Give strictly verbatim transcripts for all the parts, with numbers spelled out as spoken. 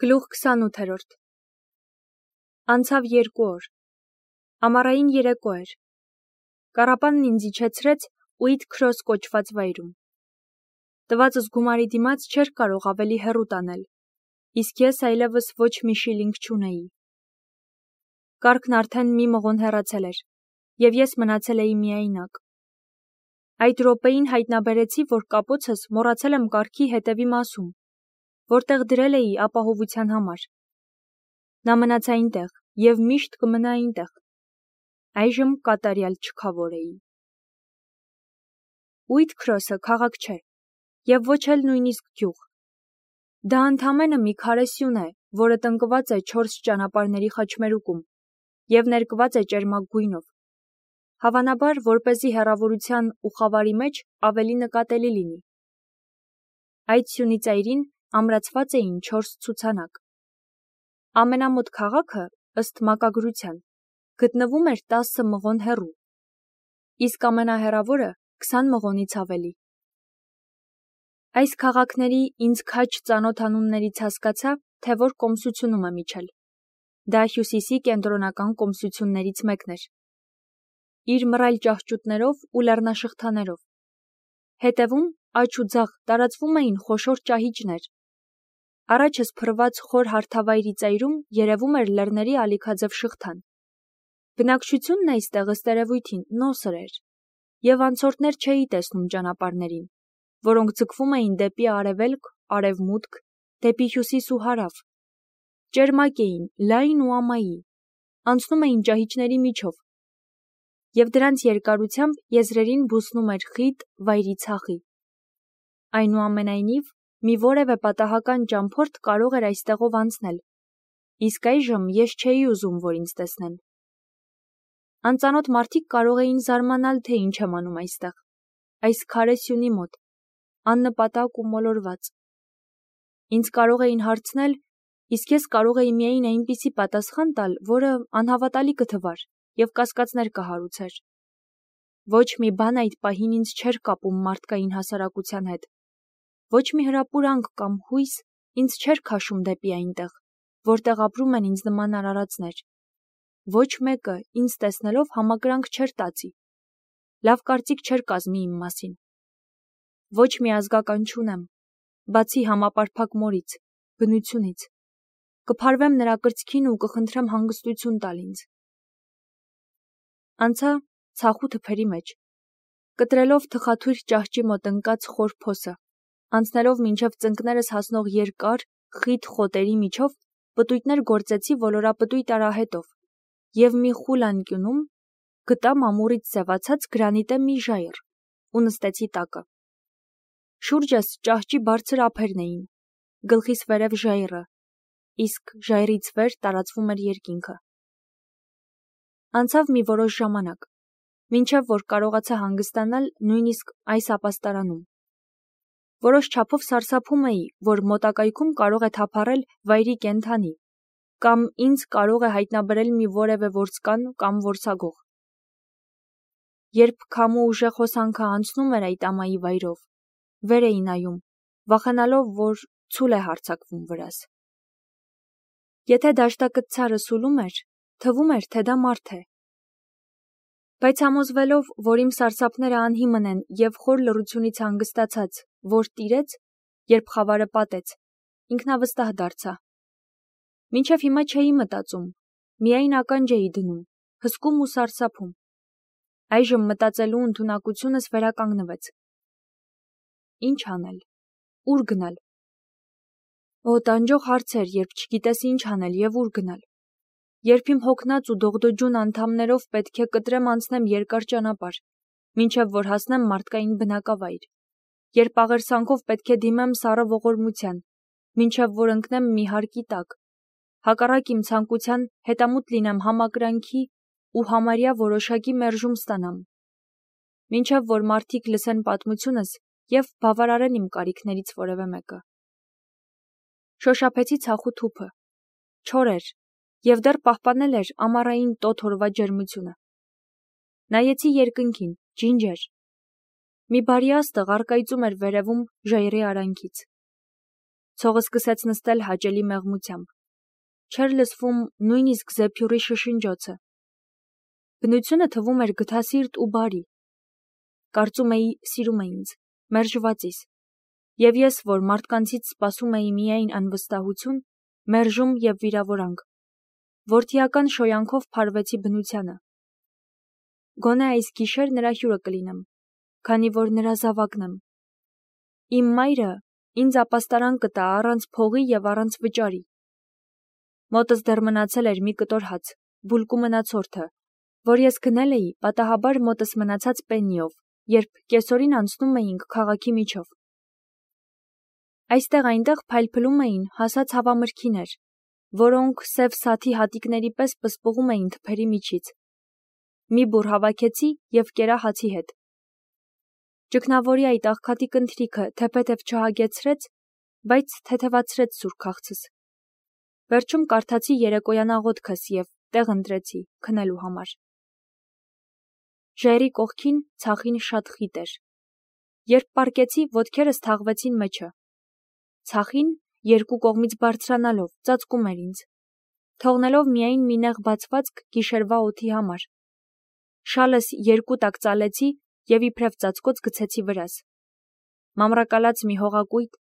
Գլուխ քսանութերորդ Անցավ երկու օր։ Ամառային երեկո էր։ Կառապանն ինձ իջեցրեց Ուիթ Քրոս կոչված վայրում։ Տվածս գումարի դիմաց չէր կարող ավելի հեռու տանել, իսկ ես այլևս ոչ մի շիլինգ չունեի։ Կառքն արդեն մի մղոն հեռացել էր, և ես մնացել էի միայնակ։ Այդ րոպեին հայտնաբերեցի, որ կապոցս մոռացել եմ կառքի հետևի մասում, որտեղ դրել էի ապահովության համար։ Նա մնաց այնտեղ և միշտ կմնա այնտեղ։ Այժմ կատարյալ չքավոր էի։ Ուիթ Քրոսը քաղաք չէ, և ոչ էլ նույնիսկ գյուղ։ Դա ընդամենը մի քարե սյուն է, որը տնկված է չորս ճանապարհների խաչմերուկում և ներկված է ճերմակ գույնով, հավանաբար, որպեսզի հեռավորության ու խավարի մեջ ավելի նկատելի լինի։ Այդ սյունի ծայրին ամրացված էին չորս ցուցանակ։ Ամենամոտ քաղաքը, ըստ մակագրության, գտնվում էր տասը մղոն հեռու, իսկ ամենահեռավորը քսան մղոնից ավելի։ Այս քաղաքների ինձ քաջ ծանոթ անուններից հասկացա, թե որ կոմսությունում եմ իջել։ Դա Հյուսիսի կենտրոնական կոմսություններից մեկն էր։ Իր մռայլ ճահճուտներով ու լեռնաշղթաներով։ Հետևում, աջ ու ձախ տարածվում էին խոշոր ճահիճներ։ Առաջս փռված խոր հարթավայրի ծայրում երևում էր լեռների ալիքաձև շղթան։ Բնակչությունն այստեղ ըստ երևույթին նոսր էր, և անցորդներ չէի տեսնում ճանապարհներին, որոնք ձգվում էին դեպի արևելք, արևմուտք, դեպի հյուսիս ու հարավ։ Ճերմակ էին, լայն ու ամայի, անցնում էին ճահիճների միջով, և դրանց երկարությամբ եզրերին բուսնում էր խիտ վայրի ցախի։ Այնուամենայնիվ, մի որևէ պատահական ճամփորդ կարող էր այստեղով անցնել, իսկ այժմ ես չէի ուզում, որ ինձ տեսնեն։ Անծանոթ մարդիկ կարող էին զարմանալ, թե ինչ եմ անում այստեղ, այս քարե սյունի մոտ, աննպատակ ու մոլորված։ Ինձ կարող էին հարցնել, իսկ ես կարող էի միայն այնպիսի պատասխան տալ, որը անհավատալի կթվար և կասկածներ կհարուցեր։ Ոչ մի բան այդ պահին ինձ չէր կապում մարդկային հասարակության հետ։ Ոչ մի հրապուրանք կամ հույս ինձ չէր քաշում դեպի այնտեղ, որտեղ ապրում են ինձ նման արարածներ։ Ոչ մեկը ինձ տեսնելով համակրանք չէր տածի, լավ կարծիք չէր կազմի իմ մասին։ Ոչ մի ազգական չունեմ, բացի համապարփակ մորից, բնությունից։ Կփարվեմ նրա կրծքին ու կխնդրեմ հանգստություն տալ ինձ։ Անցա ցախու թփերի մեջ, կտրելով թխաթույր ճահճի մոտ ընկած խոր փոսը, անցնելով մինչև ծնկներս հասնող երկար, խիտ խոտերի միջով պտույտներ գործեցի ոլորապտույտ արահետով և մի խուլ անկյունում գտա մամուռից սևացած գրանիտե մի ժայռ ու նստեցի տակը։ Շուրջս ճահճի բարձր ափերն էին, գլխիս վերև ժայռը, իսկ ժայռից վեր տարածվում էր երկինքը։ Անցավ մի որոշ ժամանակ, մինչև որ կարողացա հանգստանալ նույնիսկ այս ապաստարանում։ Որոշ չափով սարսափում էի, որ մոտակայքում կարող է թափառել վայրի կենդանի, կամ ինձ կարող է հայտնաբերել մի որևէ որսկան կամ որսագող։ Երբ քամու ուժեղ հոսանքը անցնում էր այդ ամայի վայրով, վեր էի նայում, վախենալով, որ ցուլ է հարձակվում վրաս։ Եթե դաշտակտցարը սուլում էր, թվում էր, թե դա մարդ է։ Բայց համոզվելով, որ իմ սարսափները անհիմն են և խոր լռությունից հանգստացած, որ տիրեց, երբ խավարը պատեց, ինքնավստահ դարձա։ Մինչև հիմա չէի մտածում, միայն ականջ էի դնում, հսկում ու սարսափում։ Այժմ մտածելու ընդունակությունս վերականգնվեց։ Ինչ անել, ուր գնալ։ Օ, տանջող հարց էր, երբ չգիտես ինչ անել և ուր գնալ։ Երբ իմ հոգնած ու դողդոջուն անդամներով պետք է կտրեմ անցնեմ երկար ճանապարհ, մինչև որ հասնեմ մարդկային բնակավայր, երբ աղերսանքով պետք է դիմեմ սառը ողորմության, մինչև որ ընկնեմ մի հարկի տակ, հակառակ իմ ցանկության հետամուտ լինեմ համակրանքի ու համարյա որոշակի մերժում ստանամ, մինչև որ մարդիկ լսեն պատմությունս և բավարարեն իմ կարիքներից որևէ մեկը։ Շոշափեցի ցախու թուփը, չոր էր և դեռ պահպանել էր ամառային տոտ օրվա ջերմությունը։ Նայեցի երկնքին, ջինջ էր։ Մի բարի աստղ առկայծում էր վերևում ժայռի արանքից։ Ցողը սկսեց նստել հաճելի մեղմությամբ։ Չէր լսվում նույնիսկ զեփյուռի շշնջոցը։ Բնությունը թվում էր գթասիրտ ու բարի։ Կարծում էի սիրում է ինձ, մերժվածիս։ Եվ ես, որ մարդկանցից սպասում էի միայն անվստահություն, մերժում և վիրավորանք, որդիական շոյանքով փարվեցի բնությանը։ Գոնե այս գիշեր նրա հյուրը կլինեմ, քանի որ նրա զավակն եմ։ Իմ մայրը ինձ ապաստարան կտա առանց փողի և առանց վճարի։ Մոտս դեռ մնացել էր մի կտոր հաց, բուլկու մնացորդը, որ ես գնել էի պատահաբար մոտս մնացած պեննիով, երբ կեսօրին անցնում էինք քաղաքի միջով։ Այստեղ-այնտեղ փայլփլում էին հասած հավամրգիներ, որոնք սև սաթի հատիկների պես պսպղում էին թփերի միջից։ Մի բուռ հավաքեցի և կերա հացի հետ։ Ճգնավորի այդ աղքատի կնթրիքը թեփեթև չհագեցրեց, բայց թեթևացրեց սուր քաղցս։ Վերջում կարդացի երեկոյան աղոթքս և տեղ ընտրեցի քնելու համար։ Ժայռի կողքին ցախին շատ խիտ էր։ Երբ պառկեցի, ոտքերս թաղվեցին մեջը։ Ցախին, երկու կողմից բարձրանալով, ծածկում էր ինձ, թողնելով միայն մի նեղ բացվածք գիշերվա օդի համար։ Շալս երկու տակ ծալեցի և իբրև ծածկոց գցեցի վրաս։ Մամրակալած մի հողակույտ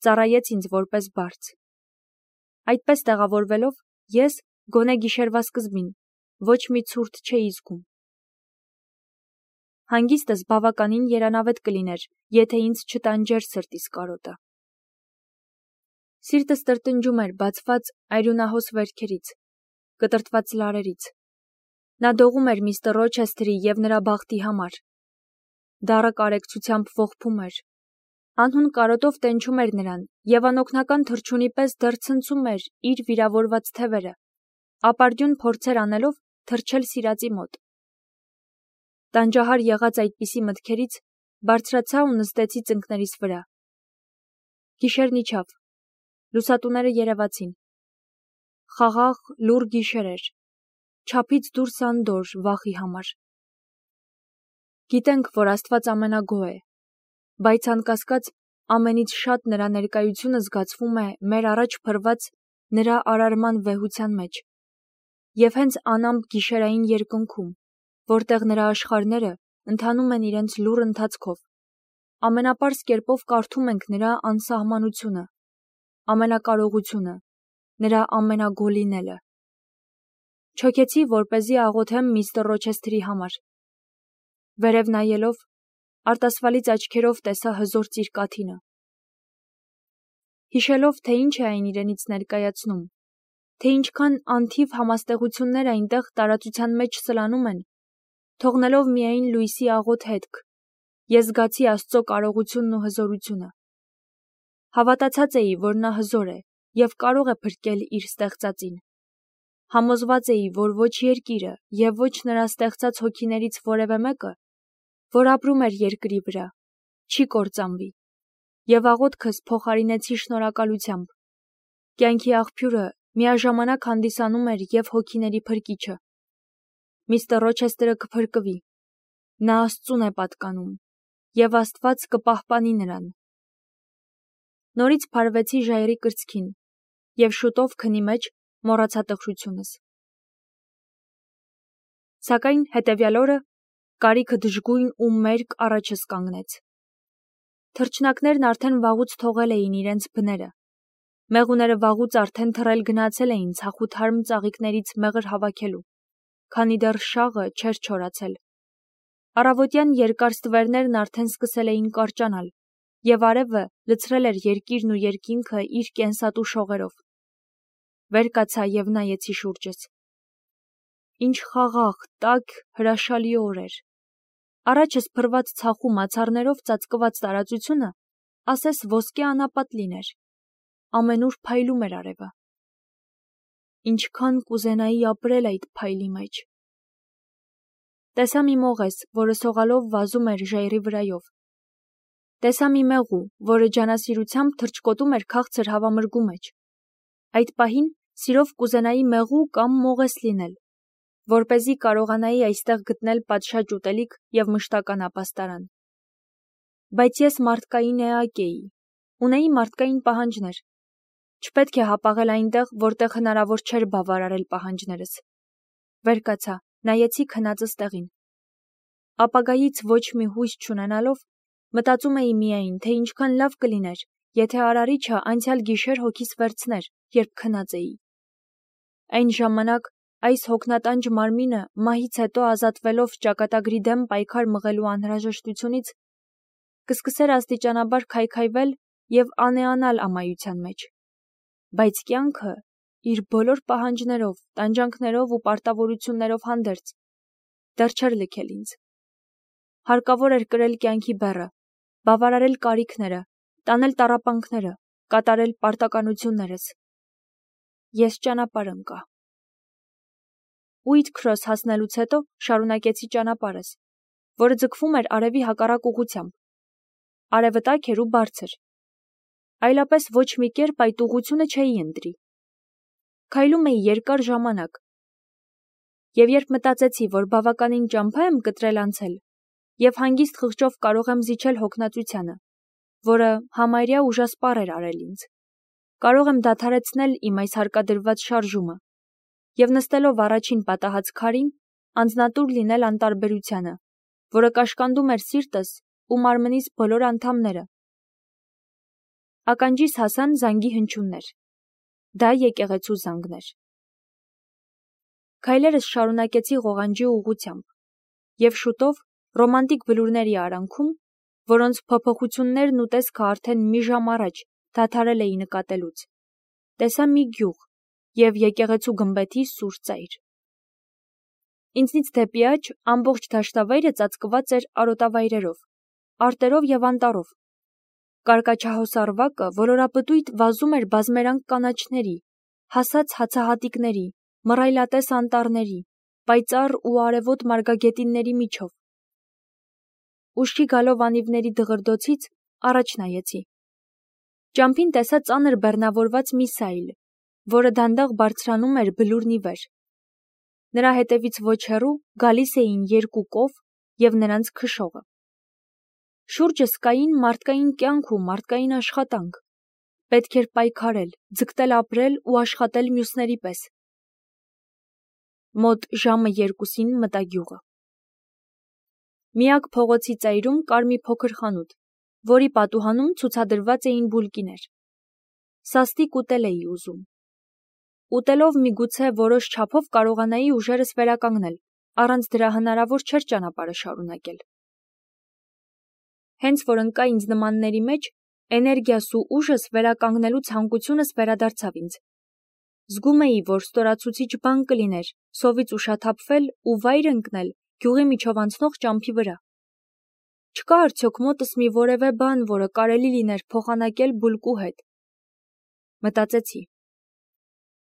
ծառայեց ինձ որպես բարձ։ Այդպես տեղավորվելով, ես, գոնե գիշերվա սկզբին, ոչ մի ցուրտ չէի զգում։ Հանգիստս բավականին երանավետ կլիներ, եթե ինձ չտանջեր սրտիս կարոտը։ Սիրտս տրտնջում էր բացված այրունահոս վերքերից, կտրտված լարերից։ Նա դողում էր միստր Ռոչեսթերի և նրա բախտի համար։ Դառը կարեկցությամբ ողբում էր։ Անհուն կարոտով տենչում էր նրան և անօգնական թռչունի պես դեռ ցնցում էր իր վիրավորված թևերը, ապարդյուն փորձեր անելով թռչել սիրածի մոտ։ Տանջահար եղած այդպիսի մտքերից բարձրացա ու նստեցի ծնկներիս վրա։ Գիշերն իջավ, լուսատուները երևացին։ Խաղաղ, լուռ գիշեր էր, չափից դուրս անդորր վախի համար։ Գիտենք, որ Աստված ամենագոհ է, բայց անկասկած ամենից շատ նրա ներկայությունը զգացվում է մեր առաջ փռված նրա արարման վեհության մեջ և հենց անամպ գիշերային երկնքում, որտեղ նրա աշխարհները ընթանում են իրենց լուռ ընթացքով, ամենապարզ կերպով կարդում ենք նրա անսահմանությունը, ամենակարողությունը, նրա ամենագոհ լինելը։ Չոքեցի, որպեսզի աղոթեմ միստր Ռոչեսթերի համար։ Վերև նայելով, արտասվալից աչքերով տեսա հզոր ծիրկաթինը։ Հիշելով, թե ինչ է այն իրենից ներկայացնում, թե ինչքան անթիվ համաստեղություններ այնտեղ տարածության մեջ սլանում են, թողնելով միայն լույսի աղոտ հետք, ես զգացի Աստծո կարողությունն ու հզորությունը։ Հավատացած էի, որ նա հզոր է և կարող է փրկել իր ստեղծածին։ Համոզված էի, որ ոչ երկիրը և ոչ նրա ստեղծած հոգիներից որևէ մեկը, որ ապրում էր երկրի վրա, չի կործանվի, և աղոթքս փոխարինեցի շնորհակալությամբ։ Կյանքի աղբյուրը միաժամանակ հանդիսանում էր և հոգիների փրկիչը։ Միստր Ռոչեսթերը կփրկվի, նա Աստծուն է պատկանում, և Աստված կպահպանի նրան։ Նորից փարվեցի ժայռի կրծքին և շուտով քնի մեջ մոռացա տխրությունս։ Սակայն հետևյալ օրը կարիքը դժգույն ու մերկ առաջս կանգնեց։ Թռչնակներն արդեն վաղուց թողել էին իրենց բները։ Մեղուները վաղուց արդեն թռել գնացել էին ցախութարմ ծաղիկներից մեղր հավաքելու, քանի դեռ շաղը չէր չորացել։ Առավոտյան երկար ստվերներն արդեն սկսել էին կարճանալ, և արևը լցրել էր երկիրն ու երկինքը իր կենսատու շողերով։ Վեր կացա և նայեցի շուրջս։ Ինչ խաղաղ, տաք, հրաշալի օր էր։ Առաջս փռված ցախու մացառներով ծածկված տարածությունը ասես ոսկե անապատ լիներ։ Ամենուր փայլում էր արևը։ Ինչքան կուզենայի ապրել այդ փայլի մեջ։ Տեսա մի մողես, որը սողալով վազում էր ժայռի վրայով։ Տեսա մի մեղու, որը ջանասիրությամբ թռչկոտում էր քաղցր հավամրգու մեջ։ Այդ պահին սիրով կուզենայի մեղու կամ մողես լինել, որպեսզի կարողանայի այստեղ գտնել պատշաճ ուտելիք և մշտական ապաստարան։ Բայց ես մարդկային էակ էի, ունեի մարդկային պահանջներ, Չպետք է հապաղել այնտեղ, որտեղ հնարավոր չէր բավարարել պահանջներս։ Վեր կացա, նայեցի քնածս տեղին։ Ապագայից ոչ մի հույս չունենալով, մտածում էի միայն, թե ինչքան լավ կլիներ, եթե արարիչը անցյալ գիշեր հոգիս վերցներ, երբ քնած էի։ Այն ժամանակ այս հոգնատանջ մարմինը մահից հետո ազատվելով ճակատագրի դեմ պայքար մղելու անհրաժեշտությունից կսկսեր աստիճանաբար քայքայվել և անեանալ ամայության մեջ։ Բայց կյանքը, իր բոլոր պահանջներով, տանջանքներով ու պարտավորություններով հանդերձ, դեռ չէր լքել ինձ։ Հարկավոր էր կրել կյանքի բեռը, բավարարել կարիքները, տանել տառապանքները, կատարել պարտականություններս։ Ես ճանապարհ ընկա։ Ուիթքրոս հասնելուց հետո շարունակեցի ճանապարհս, որը ձգվում էր արևի հակառակ ուղղությամբ։ Արևը տաք էր ու բարձր։ Այլապես ոչ մի կերպ այդ ուղղությունը չէի ընտրի։ Քայլում էի երկար ժամանակ։ Եվ երբ մտածեցի, որ բավականին ճամփա եմ կտրել անցել, և հանգիստ խղճով կարող եմ զիջել հոգնածությանը, որը համարյա ուժասպառ էր արել ինձ, կարող եմ դադարեցնել իմ այս հարկադրված շարժումը և նստելով առաջին պատահած քարին, անձնատուր լինել անտարբերությանը, որը կաշկանդում էր սիրտս ու մարմնիս բոլոր անդամները։ Ականջիս հասան զանգի հնչյուններ։ Դա եկեղեցու զանգն էր։ Քայլերս շարունակեցի ղողանջի ուղղությամբ, և շուտով ռոմանտիկ բլուրների արանքում, որոնց փոփոխություններն ու տեսքը արդեն մի ժամ առաջ դադարել էի նկատելուց, տեսա մի գյուղ և եկեղեցու գմբեթի սուր ծայր։ Ինձնից դեպի աջ ամբողջ դաշտավայրը ծածկված էր արոտավայրերով, արտերով և անտառով։ Կարկաչահոս ավակը ոլորապտույտ վազում էր բազմերանգ կանաչների, հասած հացահատիկների, մռայլատես անտառների, պայծառ ու արևոտ մարգագետինների միջով։ Ուշքի գալով անիվների դղրդոցից առաջ նայեցի։ Ճամփին տեսա ծանր բեռնավորված մի սայլ, որը դանդաղ բարձրանում էր բլուրն ի վեր։ Նրա հետևից ոչ հեռու գալիս էին երկու կով և նրանց քշողը։ Շուրջս կային մարդկային կյանք ու մարդկային աշխատանք։ Պետք էր պայքարել, ձգտել ապրել ու աշխատել մյուսների պես։ Մոտ ժամը երկուսին մտա գյուղը։ Միակ փողոցի ծայրում կար մի փոքր խանութ, որի պատուհանում ցուցադրված էին բուլկիներ։ Սաստիկ ուտել էի ուզում։ Ուտելով միգուցե որոշ չափով կարողանայի ուժերս վերականգնել, առանց դրա հնարավոր չէր ճանապարհը շարունակել։ Հենց որ ընկա ինձ նմանների մեջ, էներգիաս ու ուժս վերականգնելու ցանկությունս վերադարձավ ինձ։ Զգում էի, որ ստորացուցիչ բան կլիներ սովից ուշաթափվել ու վայր ընկնել գյուղի միջով անցնող ճամփի վրա։ Չկա արդյոք մոտս մի որևէ բան, որը կարելի լիներ փոխանակել բուլկու հետ։ Մտածեցի։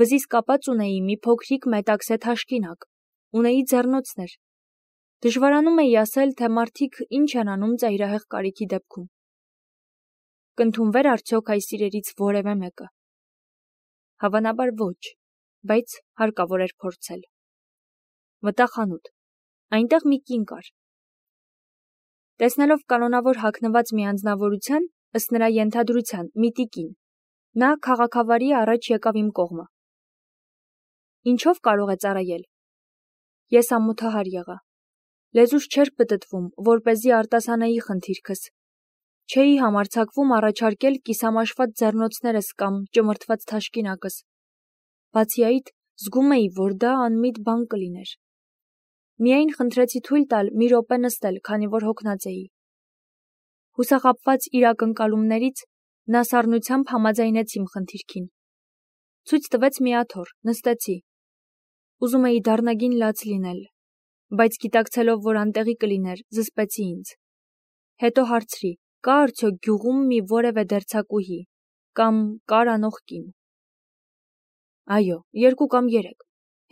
Վզիս կապած ունեի մի փոքրիկ մետաքսե թաշկինակ, ունեի ձեռնոցներ։ Դժվարանում էի ասել, թե մարդիկ ինչ են անում ծայրահեղ կարիքի դեպքում։ Կընդունվեր արդյոք այս իրերից որևէ մեկը։ Հավանաբար ոչ, բայց հարկավոր էր փորձել։ Մտա խանութ։ Այնտեղ մի կին կար։ Տեսնելով կանոնավոր հագնված մի անձնավորության, ըստ նրա ենթադրության, մի տիկին, նա քաղաքավարի առաջ եկավ իմ կողմը։ Ինչով կարող է ծառայել։ Ես ամոթահար եղա։ Լեզուս չէր պտտվում, որպեսզի արտասանեի խնդիրքս։ Չէի համարձակվում առաջարկել կիսամաշված ձեռնոցներս կամ ճմրթված թաշկինակս։ Բացի այդ, զգում էի, որ դա անմիտ բան կլիներ։ Միայն խնդրեցի թույլ տալ մի րոպե նստել, քանի որ հոգնած էի։ Հուսախաբված իր ակնկալումներից, նա սառնությամբ համաձայնեց իմ խնդիրքին։ Ցույց տվեց մի աթոռ, նստեցի։ Ուզում էի դառնագին լաց լինել, բայց գիտակցելով, որ անտեղի կլիներ, զսպեցի ինձ։ Հետո հարցրի. կա արդյոք գյուղում մի որևէ դերձակուհի կամ կար անող կին։ Այո, երկու կամ երեք,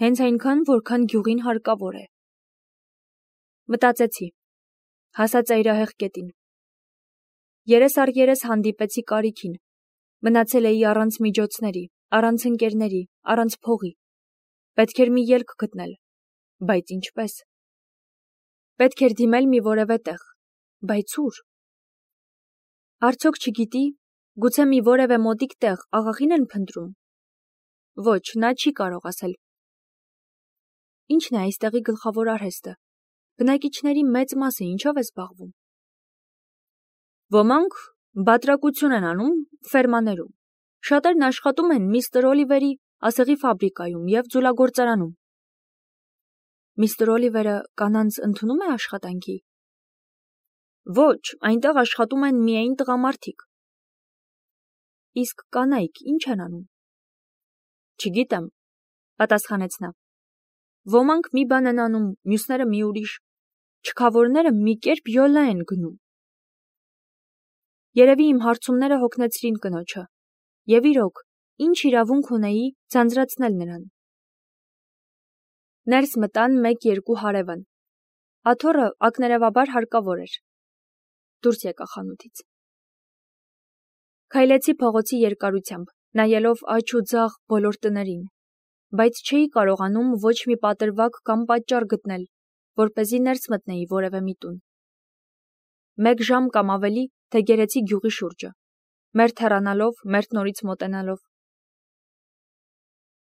հենց այնքան, որքան գյուղին հարկավոր է։ Մտածեցի, հասա ծայրահեղ կետին։ Երես առ երես հանդիպեցի կարիքին, մնացել էի առանց միջոցների, առանց ընկերների, առանց փողի։ Պետք էր մի ելք գտնել, բայց ինչպես։ Պետք էր դիմել մի որևէ տեղ, բայց ուր։ Արդյոք չգիտի, Գուցե մի որևէ մոտիկ տեղ աղախին են փնտրում։ Ոչ, նա չի կարող ասել։ Ինչն է այստեղի գլխավոր արհեստը։ Բնակիչների մեծ մասը ինչով է զբաղվում։ Ոմանք բատրակություն են անում ֆերմաներում։ Շատերն աշխատում են միստր Օլիվերի ասեղի ֆաբրիկայում և ձուլագործարանում։ Միստր Օլիվերը կանանց ընդունում է աշխատանքի։ Ոչ, այնտեղ աշխատում են միայն տղամարդիկ։ Իսկ կանայք ինչ են անում։ Չգիտեմ, պատասխանեց նա։ Ոմանք մի բան են անում, մյուսները մի ուրիշ, չքավորները մի կերպ յոլա են գնում։ Երևի իմ հարցումները հոգնեցրին կնոջը, և իրոք, ինչ իրավունք ունեի ձանձրացնել նրան։ Ներս մտան մեկ-երկու հարևան։ Աթոռը ակներևաբար հարկավոր էր։ Դուրս եկա խանութից։ Քայլեցի փողոցի երկարությամբ, նայելով աջ ու ձախ բոլոր տներին, բայց չէի կարողանում ոչ մի պատրվակ կամ պատճառ գտնել, որպեսզի ներս մտնեի որևէ մի տուն։ Մեկ ժամ կամ ավելի թե գերեցի գյուղի շուրջը, մերթ հեռանալով, մերթ նորից մոտենալով,